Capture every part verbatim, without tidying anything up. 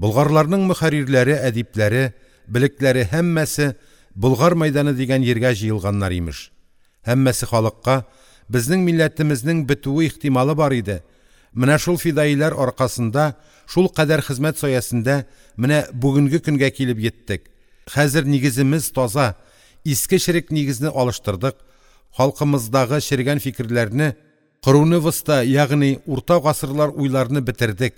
Болгарларның мөхәррирләре, әдипләре, белекләре һәммәсе Болгар мәйданы дигән йиргә җыелганнар, имеш. Һәммәсе халыкка безнең милләтемезнең бетүе ихтималы бар иде. Менә шул фидаиләр аркасында, шулкадәр хезмәт саясендә менә бүгенге көнгә килеп йиттек. Хәзер нигеземез таза, иске черек нигезне алыштырдык, халкымыздагы чергән фикерләрне, ягъни урта гасырлар уйларны бетердек.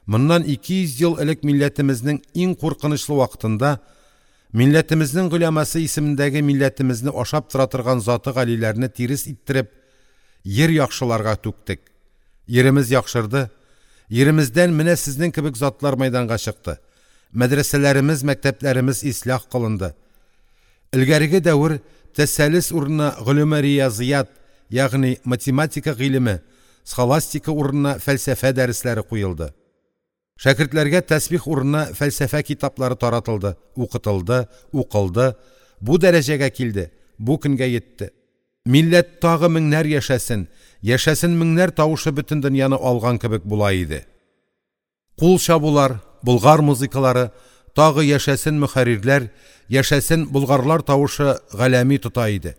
Моннан ике йөз ел элек милләтемезнең иң куркынычлы вакытында милләтемезнең голямасы исемендәге милләтемезне ашап тора торган заты галиләрне тирес иттереп, йир яхшыларга түктек. Йиремез яхшырды. Йиремездән менә сезнең кебек затлар мәйданга чыкты. Мәдрәсәләремез, мәктәпләремез ислях кылынды. Элгәреге дәвер тәсәлес урынына голема риязият, ягъни математика гыйлеме, схоластика урынына фәлсәфә дәресләре куелды. Шәкертләргә тәсбих урынына фәлсәфә китаплары таратылды, укытылды, укылды, бу дәрәҗәгә килде, бу көнгә йитте. Милләт тагы меңнәр яшәсен, яшәсен меңнәр тавышы бөтен дөньяны алган кебек була иде. Кул чабулар, болгар музыкалары, тагы яшәсен мөхәррирләр, яшәсен болгарлар тавышы галәми тота иде.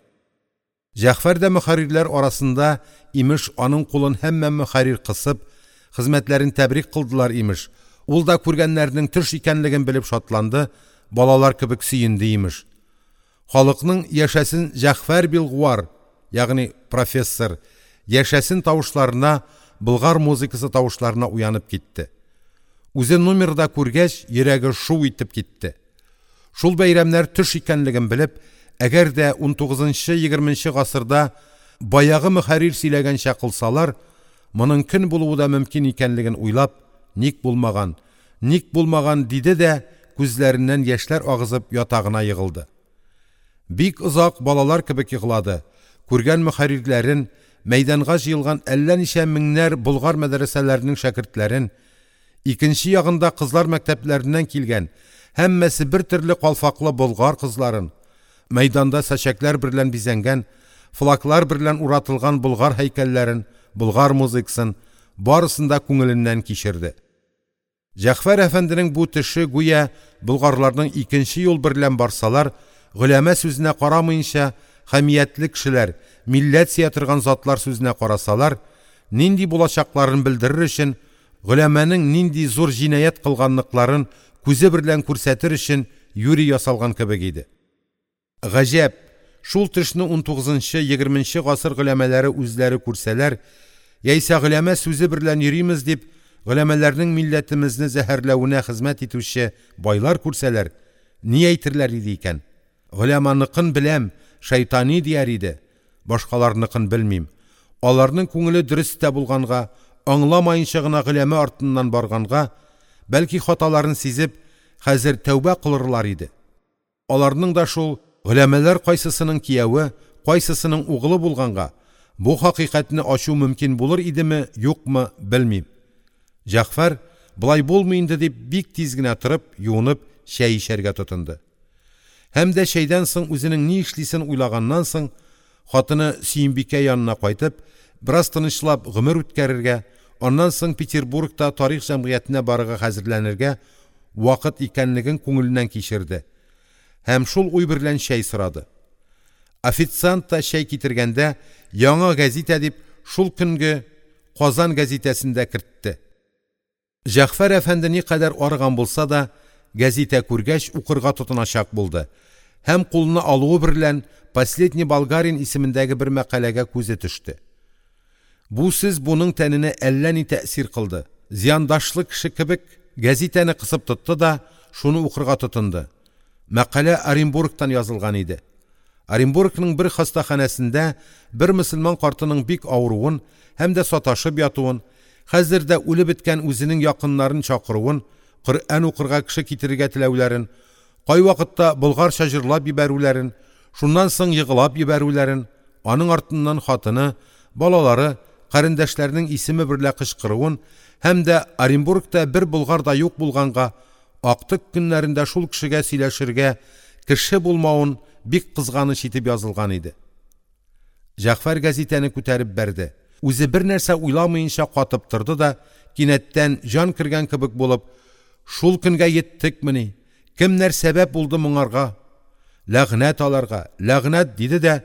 Җәгъфәр дә мөхәррирләр арасында, имеш, аның кулын һәммә мөхәррир кысып, хезмәтләрен тәбрик кылдылар, имеш. Ул да күргәннәрнең төш икәнлеген белеп шатланды, балалар кебек сөенде, имеш. Халыкның яшәсен Җәгъфәр Билгуар, ягъни профессор, яшәсен тавышларына, болгар музыкасы тавышларына уянып китте. Үзе номерда күргәч, йөрәге шу итеп китте. Шул бәйрәмнәр төш икәнлеген белеп, әгәр дә унтугызынчы-егерменче гасырда баягы мөхәррир сөйләгәнчә кылсалар, моның көн булуы да мөмкин икәнлеген уйлап, ник булмаган, ник булмаган диде дә, күзләреннән яшьләр агызып ятагына егылды. Бик озак балалар кебек еглады. Күргән мөхәррирләрен, мәйданга җыелган әллә ничә меңнәр болгар мәдрәсәләренең шәкертләрен, икенче ягында кызлар мәктәпләреннән килгән, һәммәсе бер төрле калфаклы болгар кызларын, мәйданда сачәкләр берлән бизәнгән, флаклар берлән уратылган болгар һәйкәлләрен, болгар музыкасын барысын да күңеленнән кичерде. Җәгъфәр әфәнденең бу төше гүя болгарларның икенче юл берлән барсалар, голәмә сүзенә карамыйынча, хәмиятле кешеләр, милләт сөя торган затлар сүзенә карасалар, нинди булачакларын белдерер өчен, голәмәнең нинди зур җинаять кылганлыкларын күзе берлән күрсәтер өчен юри ясалган кебек иде. Гаҗәп, шул төшне унтугызынчы-егерменче гасыр голәмәләре үзләре күрсәләр, яисә голәмә сүзе берлән йөримез дип, голәмәләрнең милләтемезне зәһәрләвенә хезмәт итүче байлар күрсәләр, ни әйтерләр иде икән? Голәманыкын беләм, шайтани дияр иде, башкаларныкын белмим. Аларның күңеле дөрес тә булганга, аңламаенча гына голәмә артыннан барганга, бәлки хаталарын сизеп, хәзер тәүбә кылырлар иде. Аларның да шул голәмәләр кайсысының кияве, кайсысының угылы булганга, бу хакыйкатьне ачу мөмкин булыр идеме, юкмы, белмим. Җәгъфәр, болай булмый инде дип, бик тиз генә торып, юынып, чәй эчәргә тотынды. Һәм дә чәйдән соң үзенең ни эшлисен уйлаганнан соң, хатыны Сөембикә янына кайтып, бераз тынычлап гомер үткәрергә, аннан соң Петербургта тарих җәмгыятенә барырга хәзерләнергә вакыт икәнлеген күңеленнән кичерде. Һәм шул уй берлән чәй сорады. Официант та чәй китергәндә, яңа газета дип, шул көнге Казан газетасын да кертте. Җәгъфәр әфәнде никадәр арыган булса да, газета күргәч укырга тотыначак булды. Һәм кулына алуы берлән «Последний болгарин» исемендәге бер мәкаләгә күзе төште. Бу сүз буның тәненә әллә ни тәэсир кылды. Зыяндашлы кеше кебек газетаны кысып тотты да шуны укырга тотынды. Мәкалә Оренбургтан язылган иде. Оренбургның бер хастаханәсендә бер мөселман картының бик авыруын һәм дә саташып ятуын, хәзер дә үлеп беткән үзенең якыннарын чакыруын, Коръән укырга кеше китерергә теләүләрен, кайвакытта болгарча җырлап җибәрүләрен, шуннан соң егылап җибәрүләрен, аның артыннан хатыны, балалары, карендәшләренең исеме берлә кычкыруын һәм дә Оренбургта бер болгар да юк булганга, актык көннәрендә шул кешегә сөйләшергә кеше булмавын бик кызганыч итеп язылган иде. Җәгъфәр газетаны күтәреп бәрде. Үзе бер нәрсә уйламыйынча катып торды да, кинәттән җан кергән кебек булып, Шул көнгә йиттекмени? Кемнәр сәбәп булды моңарга? Ләгънәт аларга, ләгънәт!» – диде дә,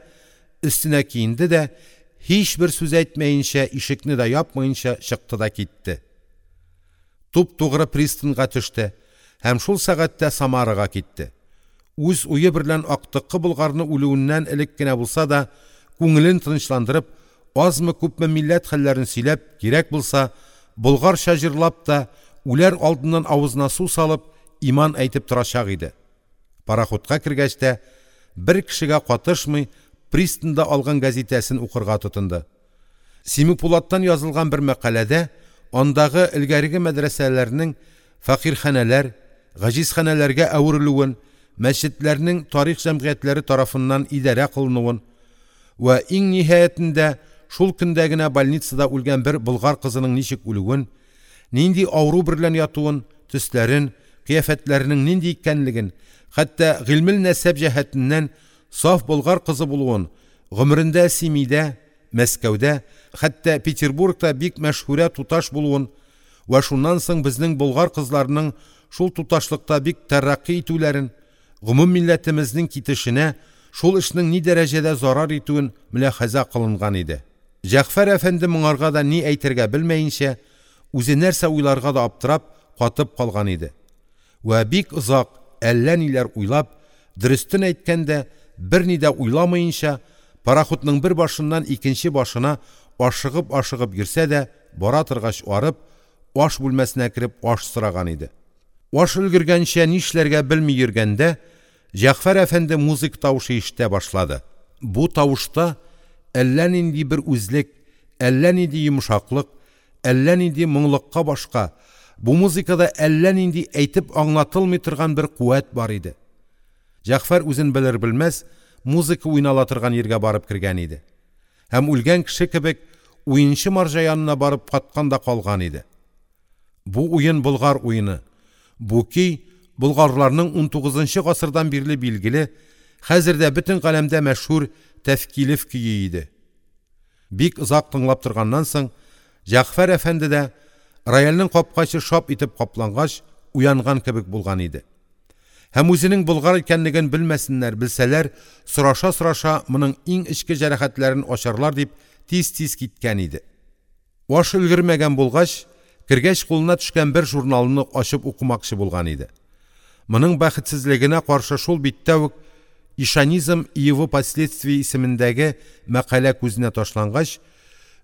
өстенә киенде дә, һичбер сүз әйтмәенчә, ишекне дә япмаенча чыкты да китте. Туп-тугры пристаньга төште һәм шул сәгатьтә Самарага китте. Үз уе берлән актыккы болгарны үлүеннән элек кенә булса да күңелен тынычландырып, азмы-күпме милләт хәлләрен сөйләп, кирәк булса, болгарча җырлап та, үләр алдыннан авызына су салып, иман әйтеп торачак иде. Парахутка кергәч тә, бер кешегә катышмый, пристаньда алган гәзитәсен укырга тотынды. Семипулаттан язылган бер мәкаләдә андагы элгәреге мәдрәсәләрнең фәкыйрьханәләр, гаҗизханәләргә әверелүен, мәсҗедләрнең тарих җәмгыятьләре тарафыннан идарә кылынуын вә иң ниһаятендә шул көндә генә больницада үлгән бер болгар кызының ничек үлүен, нинди авыру берлән ятуын, төсләрен, кыяфәтләренең нинди икәнлеген, хәтта гыйльмел нәсәб җәһәтеннән саф болгар кызы булуын, гомерендә Семидә, Мәскәүдә, хәтта Петербургта бик мәшһүрә туташ булуын вә шуннан соң безнең болгар кызларының шул туташлыкта бик тәрәкъкый итүләрен, гомум милләтемезнең китешенә шул эшнең ни дәрәҗәдә зарар итүен мөляхәзә кылынган иде. Җәгъфәр әфәнде моңарга да ни әйтергә белмәенчә, үзе нәрсә уйларга да аптырап, катып калган иде. Вә бик озак әллә ниләр уйлап, дөрестен әйткәндә, берни дә уйламаенча, парахутның бер башыннан икенче башына ашыгып-ашыгып йөрсә дә, бара торгач арып, аш бүлмәсенә кереп аш сораган иде. Аш өлгергәнчә нишләргә белми йөргәндә, Җәгъфәр әфәнде музыка тавышы ишетә башлады. Бу тавышта әллә нинди бер үзлек, әллә нинди йомшаклык, әллә нинди моңлыкка башка, бу музыкада әллә нинди әйтеп аңлатылмый торган бер куәт бар иде. Җәгъфәр үзен белер-белмәс музыка уйнала торган йиргә барып кергән иде. Һәм үлгән кеше кебек уенчы марҗа янына барып каткан да калган иде. Бу уен болгар уены. Бу көй болгарларның унтугызынчы гасырдан бирле билгеле, хәзер дә бөтен галәмдә мәшһүр Тәфкилев көе иде. Бик озак тыңлап торганнан соң, Җәгъфәр әфәнде дә рояльнең капкачы шап итеп каплангач, уянган кебек булган иде. Һәм үзенең болгар икәнлеген белмәсеннәр, белсәләр, сораша-сораша моның иң эчке җәрәхәтләрен ачарлар дип тиз-тиз киткән иде. Аш өлгермәгән булгач, кергәч кулына төшкән бер журналны ачып укымакчы булган иде. Моның бәхетсезлегенә каршы шул биттә үк «Ишанизм и его последствия» исемендәге мәкалә күзенә ташлангач,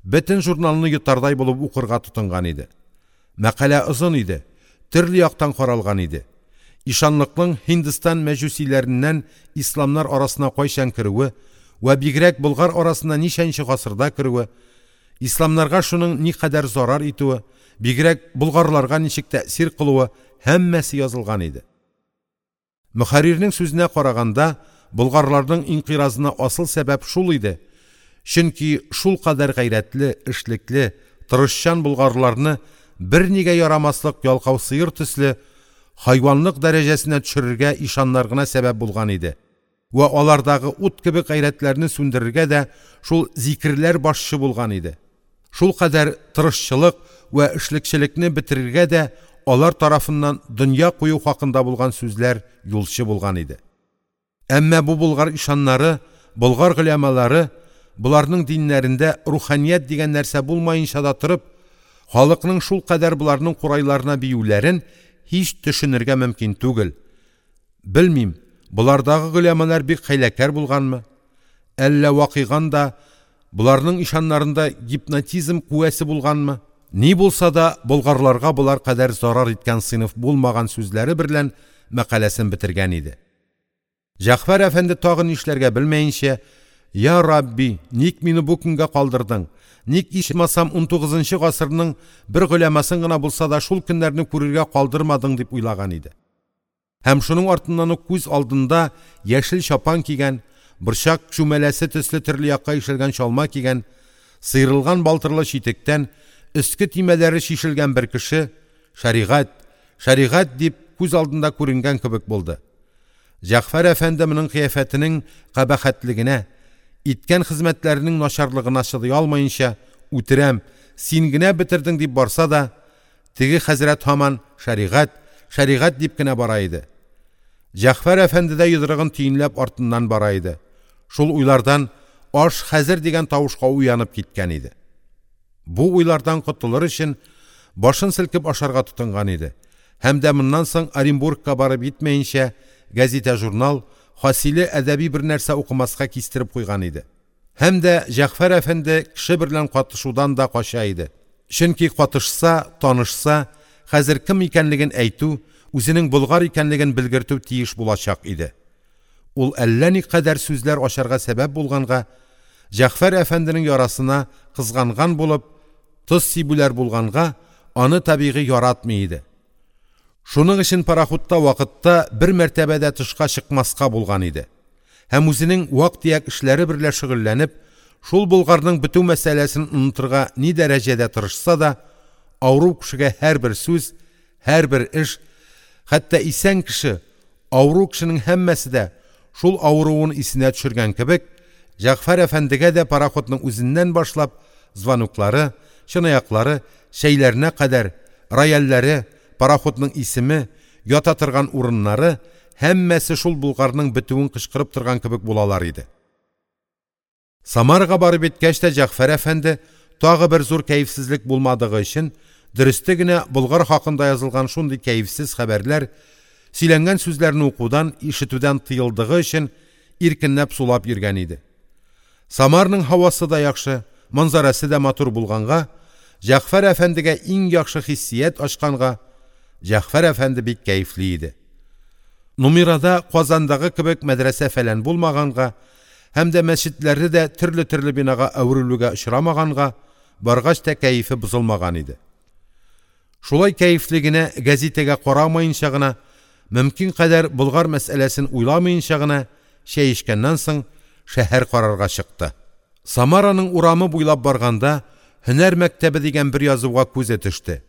бөтен журналны йотардай булып укырга тотынган иде. Мәкалә озын иде, төрле яктан каралган иде. Ишанлыкның Һиндстан мәҗүсиләреннән исламнар арасына кайчан керүе вә бигрәк болгар арасына ничәнче гасырда керүе, исламнарга шуның никадәр зарар итүе, бигрәк болгарларга ничек тәэсир кылуы һәммәсе язылган иде. Мөхәррирнең сүзенә караганда, болгарларның инкыйразына асыл сәбәп шул иде. Чөнки шул кадәр гайрәтле, эшлекле, тырышчан болгарларны бернигә ярамаслык ялкау сыер төсле хайванлык дәрәҗәсенә төшерергә ишаннар гына сәбәп булган иде. Вә алардагы ут кебек гайрәтләрне сүндерергә дә шул зикерләр башчы булган иде. Шул кадәр тырышчылык вә эшлекчелекне бетерергә дә алар тарафыннан дөнья кую хакында булган сүзләр юлчы булган иде. Әмма бу болгар ишаннары, болгар голямалары боларның диннәрендә руханият дигән нәрсә булмаенча да торып, халыкның шул кадәр боларның курайларына биюләрен һич төшенергә мөмкин түгел. Белмим, болардагы голямалар бик хәйләкәр булганмы? Әллә вакыйган да боларның ишаннарында гипнотизм куәсе булганмы? Ни булса да болгарларга болар кадәр зарар иткән сыйныф булмаган сүзләре берлән мәкаләсен бетергән иде. Җәгъфәр әфәнде тагы нишләргә белмәенчә, «Я Рабби, ник мине бу көнгә калдырдың? Ник ичмасам унтугызынчы гасырның бер голямасын гына булса да шул көннәрне күрергә калдырмадың?» дип уйлаган иде. Һәм шуның артыннан ук күз алдында яшел чапан кигән, борчак чүмәләсе төсле төрле якка ишелгән чалма кигән, сыйрылган балтырлы читектән өске төймәләре чишелгән бер кеше «Шәригать, шәригать» дип күз алдында күренгән кебек булды. Җәгъфәр әфәнде моның кыяфәтенең кабахәтлегенә, иткән хезмәтләренең начарлыгына чыдый алмаенча, «Үтерәм, син генә бетердең» дип барса да, теге хәзрәт һаман «Шәригать, шәригать дип кенә бара иде. Җәгъфәр әфәнде дә йодрыгын төенләп артыннан бара иде. Шул уйлардан аш хәзер дигән тавышка уянып киткән иде. Бу уйлардан котылыр өчен башын селкеп ашарга тотынган иде. Һәм дә моннан соң Оренбургка барып йитмәенчә гәзитә-журнал, хасиле әдәби бернәрсә укымаска кистереп куйган иде. Һәм дә Җәгъфәр әфәнде кеше берлән катышудан да кача иде. Чөнки катышса, танышса, хәзер кем икәнлеген әйтү, үзенең болгар икәнлеген белгертү тиеш булачак иде. Ул әллә никадәр сүзләр ачарга сәбәп булганга, Җәгъфәр әфәнденең ярасына кызганган булып, тоз сибүләр булганга, аны табигый яратмый иде. Шуның өчен пароходта вакытта бер мәртәбә дә тышка чыкмаска булган иде. Һәм үзенең вак-төяк эшләре берлә шөгыльләнеп, шул болгарның бетү мәсьәләсен онытырга ни дәрәҗәдә тырышса да, авыру кешегә һәрбер сүз, һәрбер эш, хәтта исән кеше, авыру кешенең һәммәсе дә шул авыруын исенә төшергән кебек, Җәгъфәр әфәндегә дә пароходның үзеннән башлап, звоноклары, чынаяклары, чәйләренә кадәр, рояльләре, пароходның исеме, ята торган урыннары һәммәсе шул болгарның бетүен кычкырып торган кебек булалар иде. Самарага барып йиткәч тә Җәгъфәр әфәнде тагы бер зур кәефсезлек булмадыгы өчен, дөресте генә болгар хакында язылган шундый кәефсез хәбәрләр, сөйләнгән сүзләрне укудан, ишетүдән тыелдыгы өчен иркенләп сулап йөргән иде. Самарның һавасы да яхшы, манзарасы да матур булганга, Җәгъфәр әфәндегә иң яхшы хиссият ачканга, Җәгъфәр әфәнде бик кәефле иде. Нумирада Казандагы кебек мәдрәсә фәлән булмаганга һәм дә мәчетләре дә төрле-төрле бинага әверелүгә очрамаганга, баргач та кәефе бозылмаган иде. Шулай кәефле генә гәзитәгә карамаенча гына, мөмкин кадәр болгар мәсьәләсен уйламаенча гына чәй эчкәннән соң шәһәр карарга чыкты. Самараның урамы буйлап барганда «Һөнәр мәктәбе» дигән бер язуга күзе төште.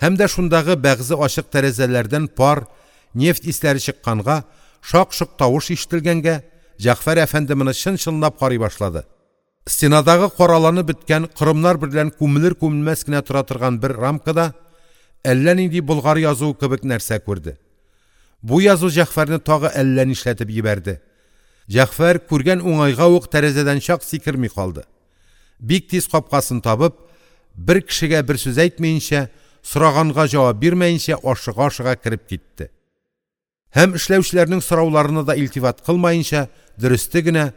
Һәм дә шундагы бәгъзе ачык тәрәзәләрдән пар, нефть исләре чыкканга, шак-шок тавыш ишетелгәнгә, Җәгъфәр әфәнде моны чын-чынлап карый башлады. Стенадагы караланып беткән корымнар берлән күмелер-күмелмәс кенә тора торган бер рамкада әллә нинди болгар язуы кебек нәрсә күрде. Бу язу Җәгъфәрне тагы әллә нишләтеп җибәрде. Җәгъфәр күргән уңайга ук тәрәзәдән чак сикерми калды. Бик тиз капкасын табып, бер кешегә бер сүз әйтмәенчә, сораганга җавап бирмәенчә ашыга-ашыга кереп китте. Һәм эшләүчеләрнең сорауларына да илтифат кылмаенча, дөресте генә,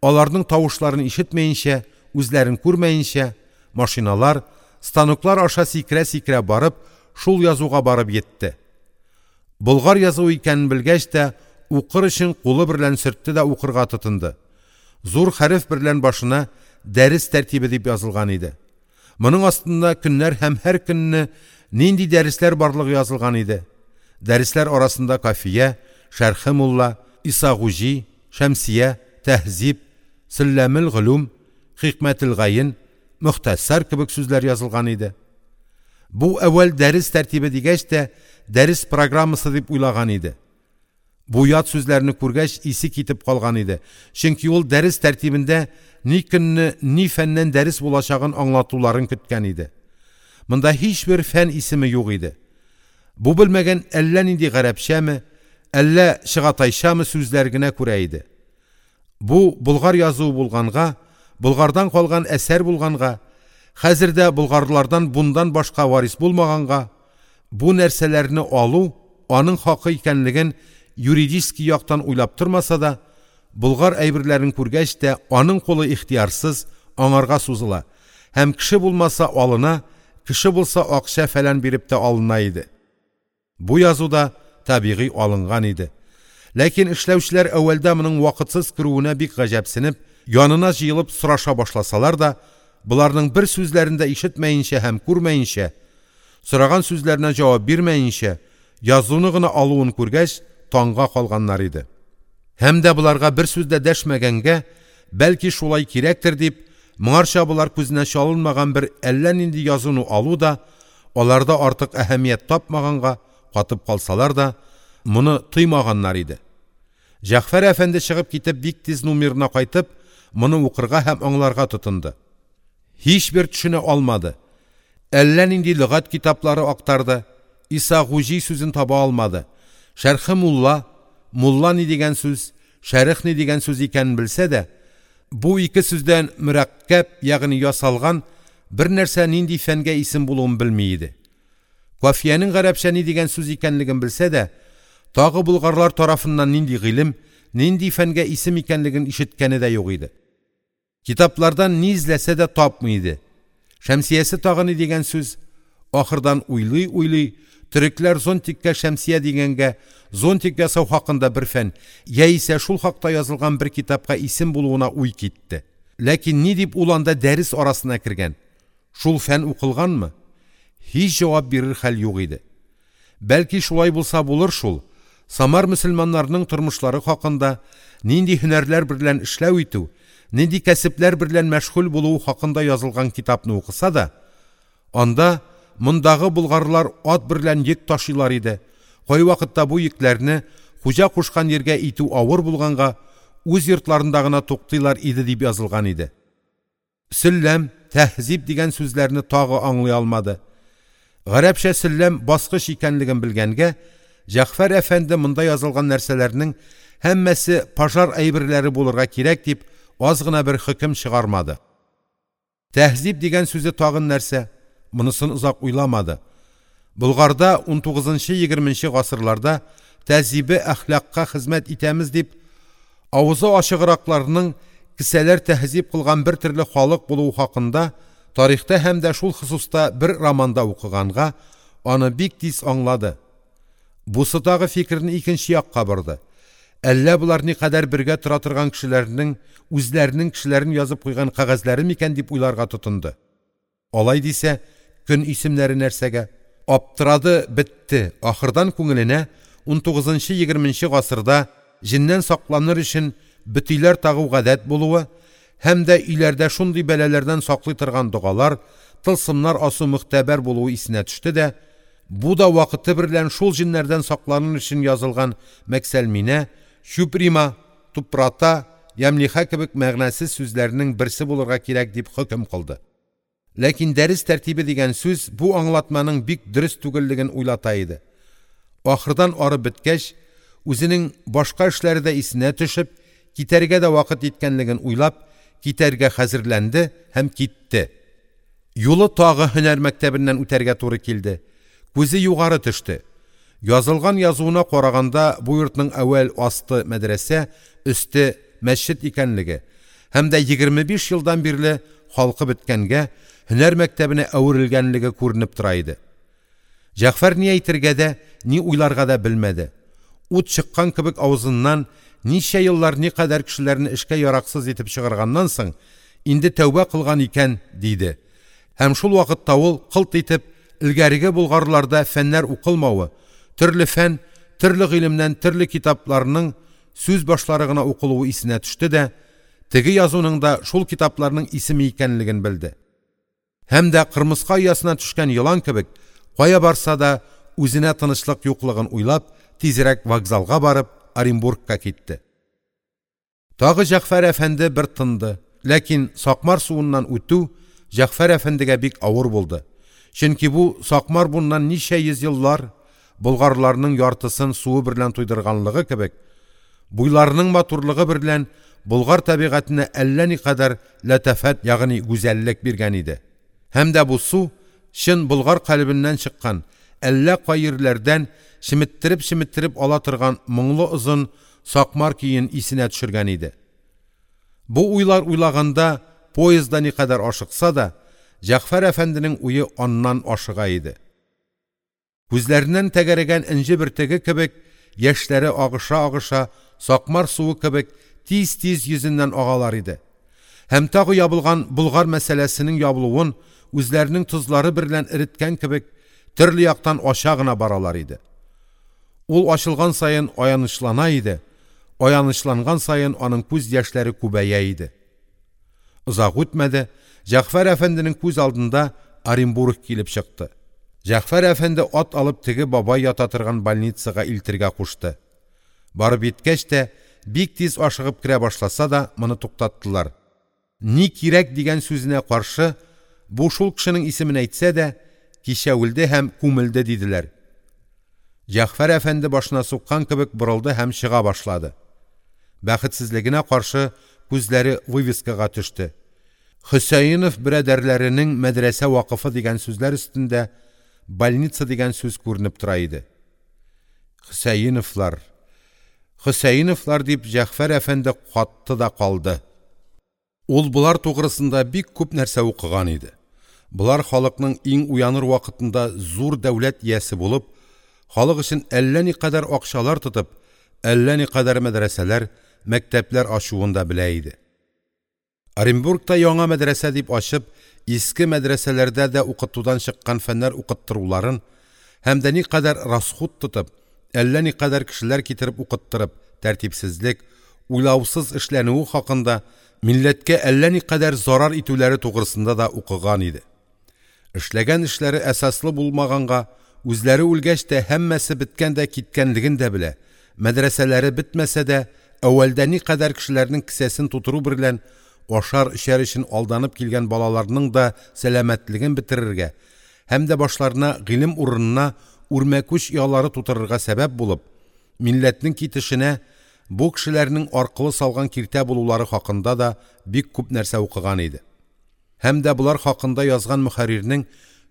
аларның тавышларын ишетмәенчә, үзләрен күрмәенчә, машиналар, станоклар аша сикерә-сикерә барып, шул язуга барып йитте. Болгар язуы икәнен белгәч тә, укыр өчен кулы берлән сөртте дә укырга тотынды. Зур хәреф берлән башына «Дәрес тәртибе» дип язылган иде. Моның астында көннәр һәм һәр көнне нинди дәресләр барлыгы язылган иде. Дәресләр арасында Кафия, Шәрхе мулла, Исагуҗи, Шәмсия, Тәһзиб, Сөлләмел Голүм, Хикмәтел Гаен, Мөхтәсар кебек сүзләр язылган иде. Бу әүвәл дәрес тәртибе дигәч тә, дәрес программасы дип уйлаган иде. Бу ят сүзләрне күргәч исе китеп калган иде. Чөнки ул дәрес тәртибендә ни көнне, ни фәннән дәрес булачагын аңлатуларын көткән иде. Монда һичбер фән исеме юк иде. Бу белмәгән әллә нинди гарәпчәме, әллә чыгатайчамы сүзләр генә күрә иде. Бу болгар язуы булганга, болгардан калган әсәр булганга, хәзер дә болгарлардан бундан башка варис булмаганга, бу нәрсәләрне алу аның хакы икәнлеген юридически яктан уйлап тормаса да, болгар әйберләрен күргәч тә аның кулы ихтыярсыз аңарга сузыла һәм кеше булмаса алына, кеше булса акча фәлән биреп тә алына иде. Бу язу да табигый алынган иде. Ләкин эшләүчеләр әүвәлдә моның вакытсыз керүенә бик гаҗәпсенеп, янына җыелып сораша башласалар да, боларның бер сүзләрен дә ишетмәенчә һәм күрмәенчә, сораган сүзләренә җавап бирмәенчә, язуны гына алуын күргәч, таңга калганнар иде. Һәм дә боларга бер сүз дә дәшмәгәнгә, бәлки шулай кирәктер дип, моңарча болар күзенә чалынмаган бер әллә нинди язуны алу да, аларда артык әһәмият тапмаганга катып калсалар да, моны тыймаганнар иде. Җәгъфәр әфәнде чыгып китеп бик тиз номерына кайтып, моны укырга һәм аңларга тотынды. Һичбер төшенә алмады. Әллә нинди лөгать китаплары актарды, Исагуҗи сүзен таба алмады. «Шәрхе мулла», мулла ни дигән сүз, шәрех ни дигән сүз икәнен белсә дә, бу ике сүздән мөрәккәб, ягъни ясалган бернәрсә нинди фәнгә исем булуын белми иде. «Кафия»нең гарәпчә ни дигән сүз икәнлеген белсә дә, тагы болгарлар тарафыннан нинди гыйлем, нинди фәнгә исем икәнлеген ишеткәне дә юк иде. Китаплардан ни эзләсә дә тапмый иде. «Шәмсия»се тагы ни дигән сүз? Ахырдан уйлый-уйлый, төрекләр зонтикка шәмсия дигәнгә, зонтик ясау хакында бер фән яисә шул хакта язылган бер китапка исем булуына уй китте. Ләкин ни дип ул анда дәрес арасына кергән? Шул фән укылганмы? Һич җавап бирер хәл юк иде. Бәлки шулай булса булыр шул. Самар мөселманнарының тормышлары хакында, нинди һөнәрләр берлән эшләү итү, нинди кәсепләр берлән мәшгуль булуы хакында язылган китапны укыса да, анда мондагы болгарлар ат берлән йөк ташыйлар иде. Кайвакытта бу йөкләрне хуҗа кушкан йиргә итү авыр булганга, үз йортларында гына туктыйлар иде дип язылган иде. Сөлләм, тәһзиб дигән сүзләрне тагы аңлый алмады. Гарәпчә сөлләм баскыч икәнлеген белгәнгә, Җәгъфәр әфәнде монда язылган нәрсәләрнең һәммәсе пожар әйберләре булырга кирәк дип аз гына бер хөкем чыгармады. Тәһзиб дигән сүзе тагын нәрсә? Монысын озак уйламады. Болгарда унтугызынчы-егерменче гасырларда тәһзибе әхлакка хезмәт итәмез дип, авызы ачыгракларның кесәләр тәһзиб кылган бер төрле халык булуы хакында тарихта һәм дә шул хосуста бер романда укыганга, аны бик тиз аңлады. Бусы тагы фикерне икенче якка борды. Әллә болар никадәр бергә тора торган кешеләрнең үзләренең кешеләрен язып куйган кәгазьләре микән дип уйларга тотынды. Алай дисә, көн исемнәре нәрсәгә? Аптырады, бетте. Ахырдан күңеленә унтугызынчы-егерменче гасырда җеннән сакланыр өчен бөтиләр тагу гадәт булуы һәм дә өйләрдә шундый бәлаләрдән саклый торган догалар, тылсымнар асу мөхтәбәр булуы исенә төште дә, бу да вакыты берлән шул җеннәрдән сакланыр өчен язылган мәксәлминә, чуприма, тупрата, ямлиха кебек мәгънәсез сүзләрнең берсе булырга кирәк дип хөкем кылды. Ләкин дәрес тәртибе дигән сүз бу аңлатманың бик дөрес түгеллеген уйлата иде. Ахырдан арып беткәч, үзенең башка эшләре дә исенә төшеп, китәргә дә вакыт иткәнлеген уйлап, китәргә хәзерләнде һәм китте. Юлы тагы һөнәр мәктәбеннән үтәргә туры килде. Күзе югары төште. Язылган язуына караганда бу йортның әүвәл асты мәдрәсә, өсте мәсҗид икәнлеге һәм дә егерме биш елдан бирле халкы беткәнгә һөнәр мәктәбенә әверелгәнлеге күренеп тора иде. Җәгъфәр ни әйтергә дә, ни уйларга да белмәде. Ут чыккан кебек авызыннан ничә еллар никадәр кешеләрне эшкә яраксыз итеп чыгарганнан соң, инде тәүбә кылган икән, диде. Һәм шул вакытта ул кылт итеп элгәреге болгарларда фәннәр укылмавы, төрле фән, төрле гыйлемнән төрле китапларның сүз башлары гына укылуы исенә төште дә, теге язуның да шул китапларның исеме икәнлеген белде. Һәм дә кырмыска оясына төшкән елан кебек, кая барса да үзенә тынычлык юклыгын уйлап, тизрәк вокзалга барып, Оренбургка китте. Тагы Җәгъфәр әфәнде бер тынды, ләкин Сакмар суыннан үтү Җәгъфәр әфәндегә бик авыр булды. Чөнки бу Сакмар буннан ничә йөз еллар болгарларның яртысын суы берлән туйдырганлыгы кебек, буйларының матурлыгы берлән болгар табигатенә әллә никадәр ләтафәт, ягъни гүзәллек биргән иде. Һәм дә бу су чын болгар калебеннән чыккан, әллә кай йирләрдән чеметтереп-чеметтереп ала торган моңлы озын Сакмар көен исенә төшергән иде. Бу уйлар уйлаганда поездда никадәр ашыкса да, Җәгъфәр әфәнденең уе аннан ашыга иде. Күзләреннән тәгәрәгән энҗе бөртеге кебек, яшьләре агыша-агыша, Сакмар суы кебек тиз-тиз йөзеннән агалар иде. Һәм тагы ябылган болгар мәсьәләсенең ябылуын үзләренең тозлары берлән эреткән кебек төрле яктан ача гына баралар иде. Ул ачылган саен аянычлана иде, аянычланган саен аның күз яшьләре күбәя иде. Озак үтмәде, Җәгъфәр әфәнденең күз алдында Оренбург килеп чыкты. Җәгъфәр әфәнде ат алып теге бабай ята торган больницага илтергә кушты. Барып еткәч тә, бик тиз ашыгып керә башласа да, моны туктаттылар. Ни кирәк дигән сүзенә каршы, бу шул кешенең исемен әйтсә дә, кичә үлде һәм күмелде диделәр. Җәгъфәр әфәнде башына суккан кебек борылды һәм чыга башлады. Бәхетсезлегенә каршы күзләре вывескага төште. «Хөсәенев борадәрләренең мәдрәсә вакыфы» дигән сүзләр өстендә «больница» дигән сүз күренеп тора иде. Хөсәеневләр, Хөсәеневләр дип, Җәгъфәр әфәнде катты да калды. Ул болар тугрысында бик күп нәрсә укыган иде. Болар халыкның иң уяныр вакытында зур дәүләт иясе булып, халык өчен әллә никадәр акчалар тотып, әллә никадәр мәдрәсәләр, мәктәпләр ачуын да белә иде. Оренбургта яңа мәдрәсә дип ачып, иске мәдрәсәләрдә дә укытудан чыккан фәннәр укыттыруларын һәм дә никадәр расхут тотып, әллә никадәр кешеләр китереп укыттырып, тәртипсезлек, уйлаусыз эшләнүе хакында милләткә әллә никадәр зарар итүләре тугрысында да укыган иде. Эшләгән эшләре әсаслы булмаганга, үзләре үлгәч тә һәммәсе беткән дә киткәнлеген дә белә. Мәдрәсәләре бетмәсә дә, әүвәлдә никадәр кешеләрнең кесәсен тутыру берлән ашар-эчәр өчен алданып килгән балаларның да сәламәтлеген бетерергә һәм дә башларына гыйлем урынына үрмәкүч оялары тутырырга сәбәп булып, милләтнең китешенә бу кешеләрнең аркылы салган киртә булулары хакында да бик күп нәрсә укыган иде. Һәм дә болар хакында язган мөхәррирнең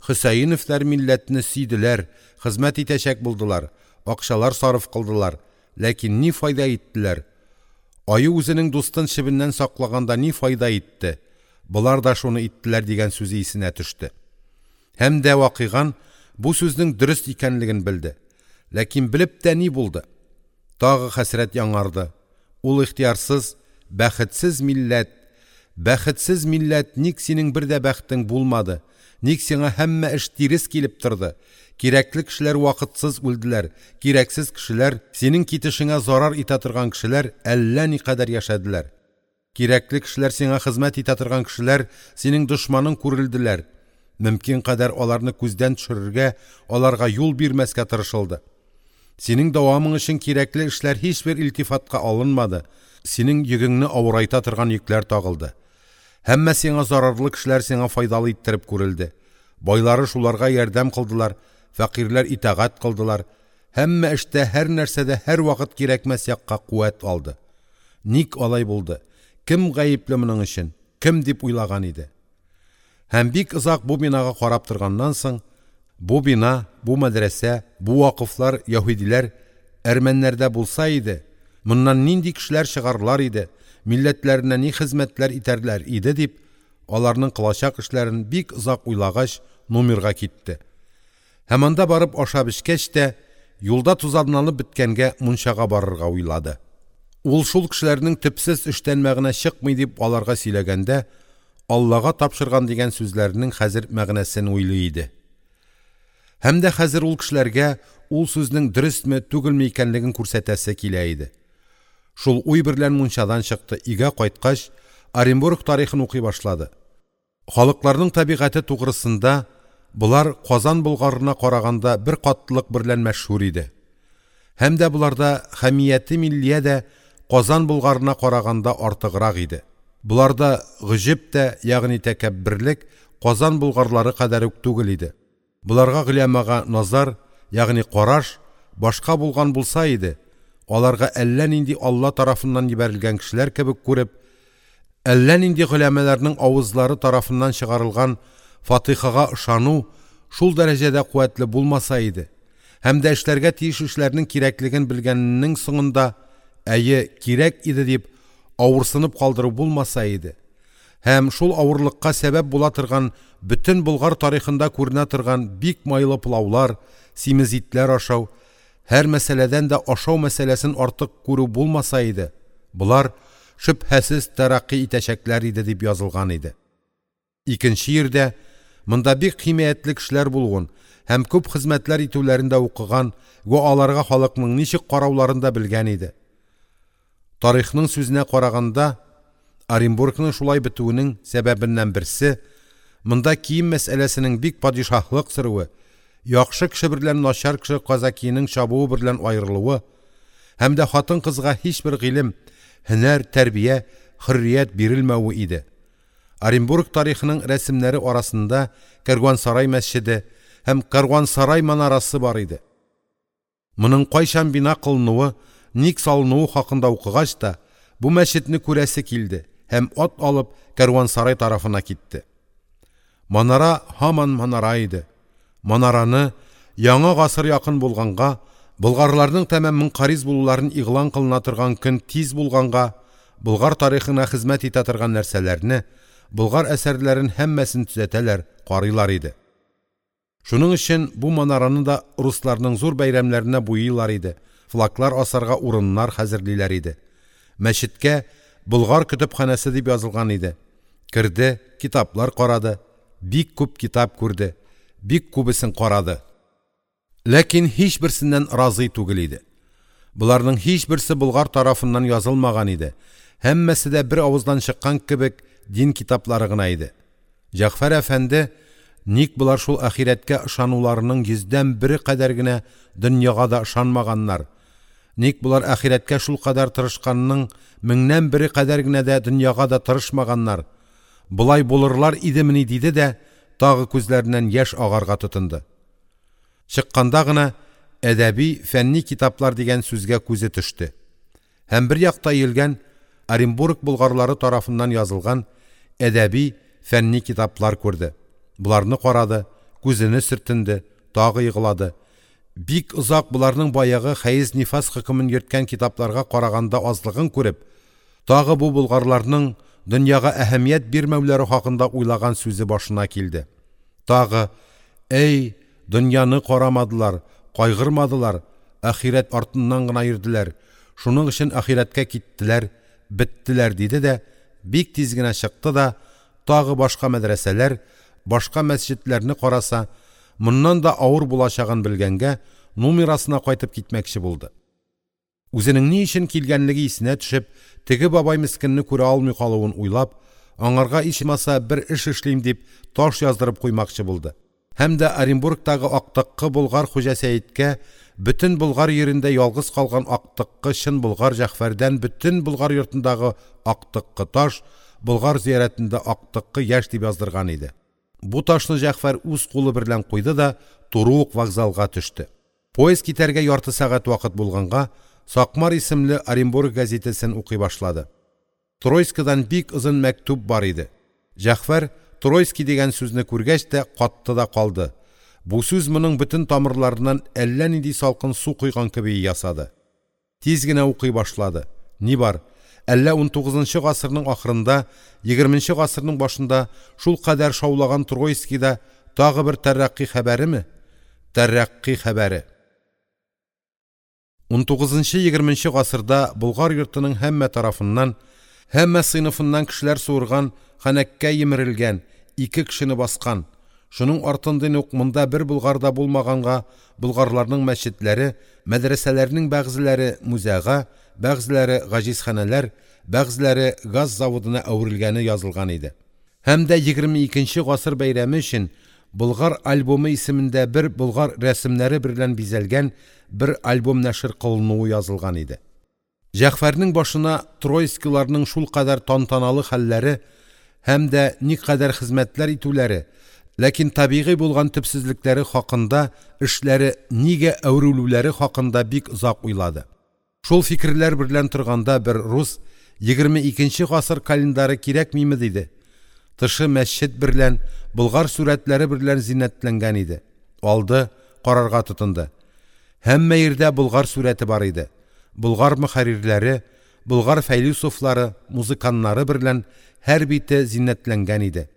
Хөсәеневләр милләтне сөйделәр, хезмәт итәчәк булдылар, акчалар сарыф кылдылар, ләкин ни файда иттеләр? Аю үзенең дустын чебеннән саклаганда ни файда итте? Болар да шуны иттеләр дигән сүзе исенә төште. Һәм дә вакыйган бу сүзнең дөрес икәнлеген белде. Ләкин белеп тә ни булды? Тагы хәсрәт яңарды. Ул ихтыярсыз, бәхетсез милләт, бәхетсез милләт, ник синең бер дә бәхтең булмады? Ник сиңа һәммә эш тирес килеп торды? Кирәкле кешеләр вакытсыз үлделәр, кирәксез кешеләр, синең китешеңә зарар итә торган кешеләр әллә никадәр яшәделәр. Кирәкле кешеләр, сиңа хезмәт итә торган кешеләр синең дошманың күрелделәр. Мөмкин кадәр аларны күздән төшерергә, аларга юл бирмәскә тырышылды. Синең дәвамың өчен кирәкле эшләр һичбер илтифатка алынмады. Синең йөгеңне авырайта торган йөкләр тагылды. Һәммә сиңа зарарлы кешеләр сиңа файдалы иттереп күрелде. Байлары шуларга ярдәм кылдылар, фәкыйрьләр итагать кылдылар. Һәммә эштә, һәр нәрсәдә һәр вакыт кирәкмәс якка куәт алды. Ник алай булды? Кем гаепле моның өчен? Кем дип уйлаган иде? Һәм бик озак бу бинага карап торганнан соң, бу бина, бу мәдрәсә, бу вакыфлар яһүдиләр, әрмәннәрдә булса иде, моннан нинди кешеләр чыгарлар иде, милләтләренә ни хезмәтләр итәрләр иде дип, аларның кылачак эшләрен бик озак уйлагач, номерга китте. Һәм анда барып ашап эчкәч тә, юлда тузанланып беткәнгә мунчага барырга уйлады. Ул шул кешеләрнең төпсез эштән мәгънә чыкмый дип аларга сөйләгәндә, Аллага тапшырган дигән сүзләренең хәзер мәгънәсен уйлый иде. Һәм дә хәзер ул кешеләргә ул сүзнең дөресме, түгелме икәнлеген күрсәтәсе килә иде. Шул уй берлән мунчадан чыкты, өйгә кайткач, Оренбург тарихын укый башлады. Халыкларның табигате тугрысында болар Казан Болгарына караганда бер катлылык берлән мәшһүр иде. Һәм дә боларда хәмияте миллия дә Казан Болгарына караганда артыграк иде. Боларда гөҗеп тә, ягъни тәкәбберлек Казан болгарлары кадәр үк түгел иде. Боларга голямага назар, ягъни караш башка булган булса иде, аларга әллә нинди Алла тарафыннан җибәрелгән кешеләр кебек күреп, әллә нинди голямаларның авызлары тарафыннан чыгарылган Фатихага ышану шул дәрәҗәдә куәтле булмаса иде, һәм дә эшләргә тиеш эшләрнең кирәклеген белгәннең соңында әйе кирәк иде дип авырсынып калдыру булмаса иде, һәм шул авырлыкка сәбәп була торган бөтен Болгар тарихында күренә торган бик майлы пылаулар, симез итләр ашау, һәр мәсьәләдән дә ашау мәсьәләсен артык күрү булмаса иде, болар шөбһәсез тәрәкъкый итәчәкләр иде дип язылган иде. Икенче йирдә монда бик химаятлы кешеләр булуын һәм күп хезмәтләр итүләрен дә укыган вә аларга халыкның ничек карауларын да белгән иде. Тарихның сүзенә караганда, Оренбургның шулай бетүенең сәбәбеннән берсе монда кием мәсьәләсенең бик падишаһлык сөрүе, яхшы кеше берлән начар кеше казакиның чабуы берлән аерылуы һәм дә хатын-кызга һичбер гыйлем, һөнәр, тәрбия, хөррият бирелмәве иде. Оренбург тарихының рәсемнәре арасында Кәрван-сарай мәсҗиде һәм Кәрван-сарай манарасы бар иде. Моның кайчан бина кылынуы, ник салынуы хакында укыгач та, бу мәсҗедне күрәсе килде һәм ат алып Кәрван-сарай тарафына китте. Манара һаман манара иде. Манараны яңа гасыр якын булганга, болгарларның тәмам мөнкариз булуларын игълан кылына торган көн тиз булганга, болгар тарихына хезмәт итә торган нәрсәләрне, болгар әсәрләрен һәммәсен төзәтәләр, карыйлар иде. Шуның өчен бу манараны да русларның зур бәйрәмнәренә буйыйлар иде, флаглар асарга урыннар хәзерлиләр иде. Мәчеткә «Болгар көтепханәсе» дип язылган иде. Керде, китаплар карады, бик күп китап күрде, бик күбесен карады. Ләкин һичберсеннән разый түгел иде. Боларның һичберсе болгар тарафыннан язылмаган иде. Һәммәсе дә бер авыздан чыккан кебек дин китаплары гына иде. Җәгъфәр әфәнде, ник болар шул ахирәткә ышануларының йөздән бере кадәр генә дөньяга да ышанмаганнар? Ник болар ахирәткә шулкадәр тырышканның меңнән бере кадәр генә дә дөньяга да тырышмаганнар? Болай булырлар идемени диде дә, тагы күзләреннән яшь агарга тотынды. Чыкканда гына әдәби, фәнни китаплар дигән сүзгә күзе төште. Һәм бер якта өелгән Оренбург болгарлары тарафыннан язылган әдәби, фәнни китаплар күрде. Боларны карады, күзене сөртенде, тагы еглады. Бик озак боларның баягы хәез-нифас хөкемен йөрткән китапларга караганда азлыгын күреп, тагы бу болгарларның дөньяга әһәмият бирмәүләре хакында уйлаган сүзе башына килде. Тагы: «Әй, дөньяны карамадылар, кайгырмадылар, ахирәт артыннан гына йөрделәр, шуның өчен ахирәткә киттеләр, беттеләр», – диде дә, бик тиз генә чыкты да, тагы башка мәдрәсәләр, башка мәсҗедләрне караса, моннан да авыр булачагын белгәнгә, нумирасына кайтып китмәкче булды. Үзенең ни өчен килгәнлеге исенә төшеп, теге бабай мескенне күрә алмый калуын уйлап, аңарга ичмаса бер эш эшлим дип, таш яздырып куймакчы булды. Һәм дә Оренбургтагы актыккы болгар Хуҗа Сәедкә бөтен болгар йирендә ялгыз калган актыккы чын болгар Җәгъфәрдән бөтен болгар йортындагы актыккы таш, болгар зиярәтендә актыккы яшь дип яздырган иде. Бу ташны Җәгъфәр үз кулы берлән куйды да туры ук вокзалга төште. Поезд китәргә ярты сәгать вакыт булганга, «Сакмар» исемле Оренбург газетасын укый башлады. Троицкидан бик озын мәктүб бар иде. Җәгъфәр Троицкий дигән сүзне күргәч тә катты да калды. Бу сүз моның бөтен тамырларыннан әллә нинди салкын су койган кеби ясады. Тиз генә укый башлады. Ни бар? Әллә унтугызынчы гасырның ахырында, егерменче гасырның башында шул кадәр шаулаган Троицкийда тагы бер тәрәкъкый хәбәреме? Тәрәкъкый хәбәре. унтугызынчы-егерменче гасырда Болгар йортының һәммә тарафыннан, һәммә сыйныфыннан кешеләр суырган, ханәккә емерелгән, ике кешене баскан. Шуның артындан ук монда бер болгар да булмаганга, болгарларның мәчетләре, мәдрәсәләренең бәгъзеләре музейга, бәгъзеләре гаҗизханәләр, бәгъзеләре газ заводына әверелгәне язылган иде. Һәм дә егерме икенче гасыр бәйрәме өчен Болгар альбомы исемендә бер болгар рәсемнәре берлән бизәлгән бер альбом нәшер кылынуы язылган иде. Җәгъфәрнең башына Троицкийларның шулкадәр тантаналы хәлләре һәм дә никадәр хезмәтләр итүләре, ләкин табигый булган төпсезлекләре хакында, эшләре нигә әверелүләре хакында бик озак уйлады. Шул фикерләр берлән торганда бер рус егерме икенче гасыр календары кирәкмиме диде. Тышы мәсҗед берлән, болгар сурәтләре берлән зиннәтләнгән иде. Алды, карарга тотынды. Һәммә йирдә болгар сурәте бар иде. Болгар мөхәррирләре, болгар фәйләсуфлары, музыканнары берлән һәр бите зиннәтләнгән иде.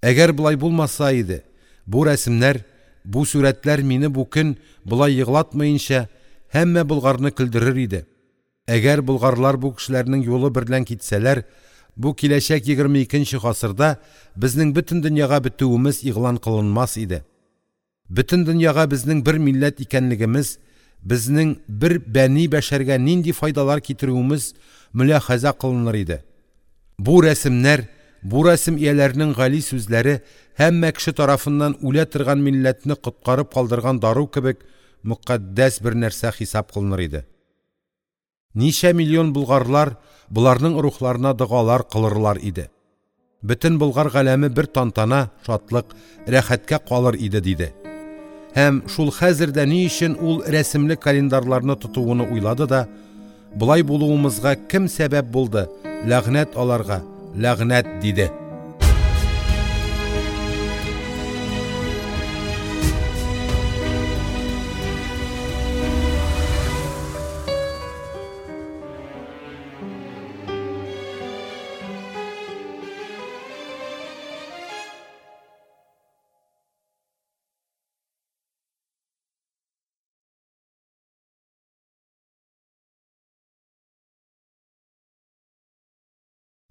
Әгәр болай булмаса иде, бу рәсемнәр, бу сурәтләр мине бу көн болай еглатмаенча һәммә болгарны көлдерер иде. Әгәр болгарлар бу кешеләрнең юлы берлән китсәләр, бу киләчәк егерме икенче гасырда безнең бөтен дөньяга бетүемез игълан кылынмас иде. Бөтен дөньяга безнең бер милләт икәнлегемез, безнең бер бәни бәшәргә нинди файдалар китерүемез мөляхәзә кылыныр иде. Бу рәсемнәр, бу рәсем ияләренең гали сүзләре һәммә кеше тарафыннан үлә торган милләтне коткарып калдырган дару кебек мөкаддәс бер нәрсә хисап кылыныр иде. Ничә миллион болгарлар боларның рухларына догалар кылырлар иде. Бөтен болгар галәме бер тантана, шатлык, рәхәткә калыр иде диде. Һәм шул хәзер дә ни өчен ул рәсемле календарьларны тотуыны уйлады да: «Болай булуымызга кем сәбәп булды, ләгънәт аларга, ләгънәт!» – диде.